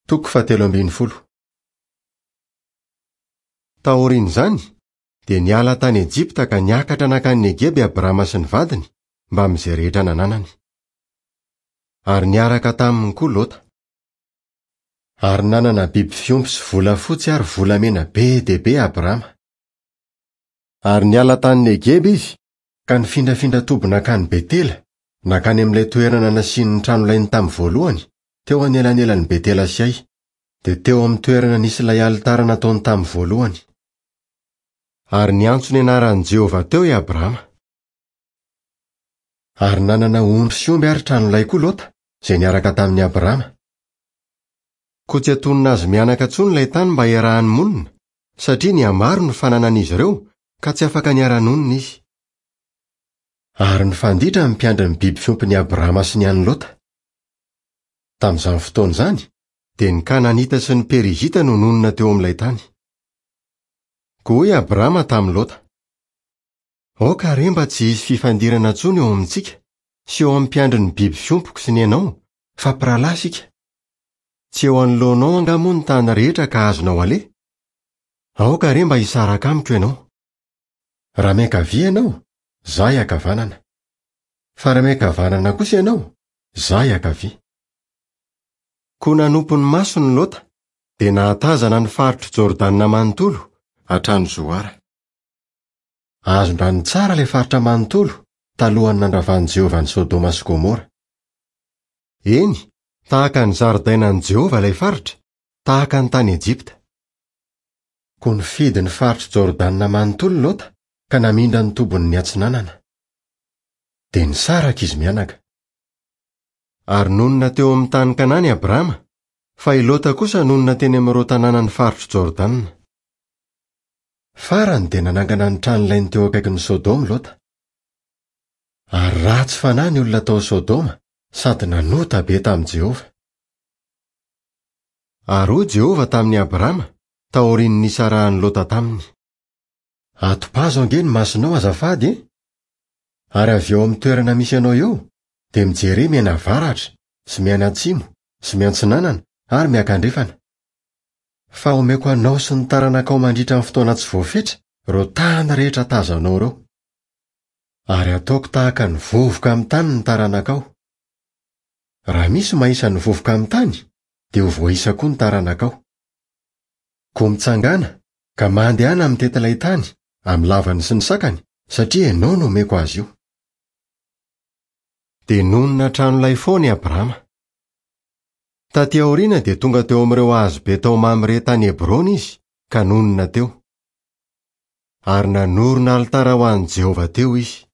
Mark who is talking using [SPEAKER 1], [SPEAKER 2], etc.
[SPEAKER 1] Toko fahatelo ambin'ny folo. Taorian'izany, dia niala tany Ejipta ka niakatra nankany Negeba i Abrama sy ny vadiny, mbamin'izay rehetra nananany. Ary niaraka taminy koa Lota. Ary nanana biby fiompy sy volafotsy ary volamena be dia be Abrama. Ary niala tany Negeba izy, ka nifindrafindra toby nankany Betela, nankany amin'ilay toerana nasiany ny tranolainy tamin'ny voalohany, teo anelanelan'i Betela sy Ay, dia teo amin'ny toerana nisy ilay alitara nataony tamin'ny voalohany. Ary niantso ny anaran'i Jehovah teo i Abrama. Ary nanana ondry sy omby ary tranolay koa Lota, izay niaraka tamin'i Abrama. Koa tsy antonona azy mianaka intsony ilay tany mba hiarahany monina, satria nihamaro ny fananan'izy ireo ka tsy afaka niara-nonina izy. Ary nifanditra ny mpiandry ny biby fiompin'i Abrama sy ny an'i Lota. Tamin'izany fotoana izany, dia ny Kananita sy ny Perizita no nonina teo amin'ilay tany. Koa hoy Abrama tamin'i Lota, Aoka re mba tsy hisy fifandirana intsony eo amintsika sy eo amin'ny mpiandry ny biby fiompiko sy ny anao, fa mpirahalahy isika. Tsy eo anoloanao angaha moa ny tany rehetra ka azonao aleha? Aoka re mba hisaraka amiko ianao. Raha miankavia ianao, izaho hiankavanana. Fa raha miankavanana kosa ianao, izaho hiankavia. Koa nanompo ny masony Lota, dia nahatazana ny faritr'i Jordana manontolo, hatrany Zoara. Azon-drano tsara ilay faritra manontolo, talohan'ny nandravan'i Jehovah an'i Sodoma sy Gomora. Eny, tahaka ny zaridainan'i Jehovah ilay faritra, tahaka ny tany Ejipta. Koa nifidy ny faritr'i Jordana manontolo Lota, ka namindra ny tobiny niatsinanana. Dia nisaraka izy mianaka. Ary nonina teo amin'ny tany Kanana i Abrama, fa i Lota kosa nonina teny amin'ireo tanànan'ny faritr'i Jordana. Farany dia nanangana ny tranolainy teo akaikin'i Sodoma i Lota. Ary ratsy fanahy ny olona tao Sodoma sady nanota be tamin'i Jehovah. Ary hoy Jehovah tamin'i Abrama, taorian'ny nisarahan'i Lota taminy, Atopazo ange ny masonao azafady e! Ary avy eo amin'ny toerana misy anao eo, dia mijere mianavaratra sy mianatsimo sy miantsinanana ary miakandrefana. Fa homeko anao sy ny taranakao mandritra ny fotoana tsy voafetra ireo tany rehetra tazanao ireo. Ary hataoko tahaka ny vovoka amin'ny tany ny taranakao. Raha misy mahisa ny vovoka amin'ny tany, dia ho voaisa koa ny taranakao. Koa mitsangàna, ka mandehana mitety ilay tany, amin'ny lavany sy ny sakany, satria ianao no omeko azy io. Dia nonina an-tranolay foana i Abrama. Tatỳ aoriana dia tonga teo amin'ireo hazo be tao Mamre tany Hebrona izy, ka nonina teo. Ary nanorina alitara ho an'i Jehovah teo izy.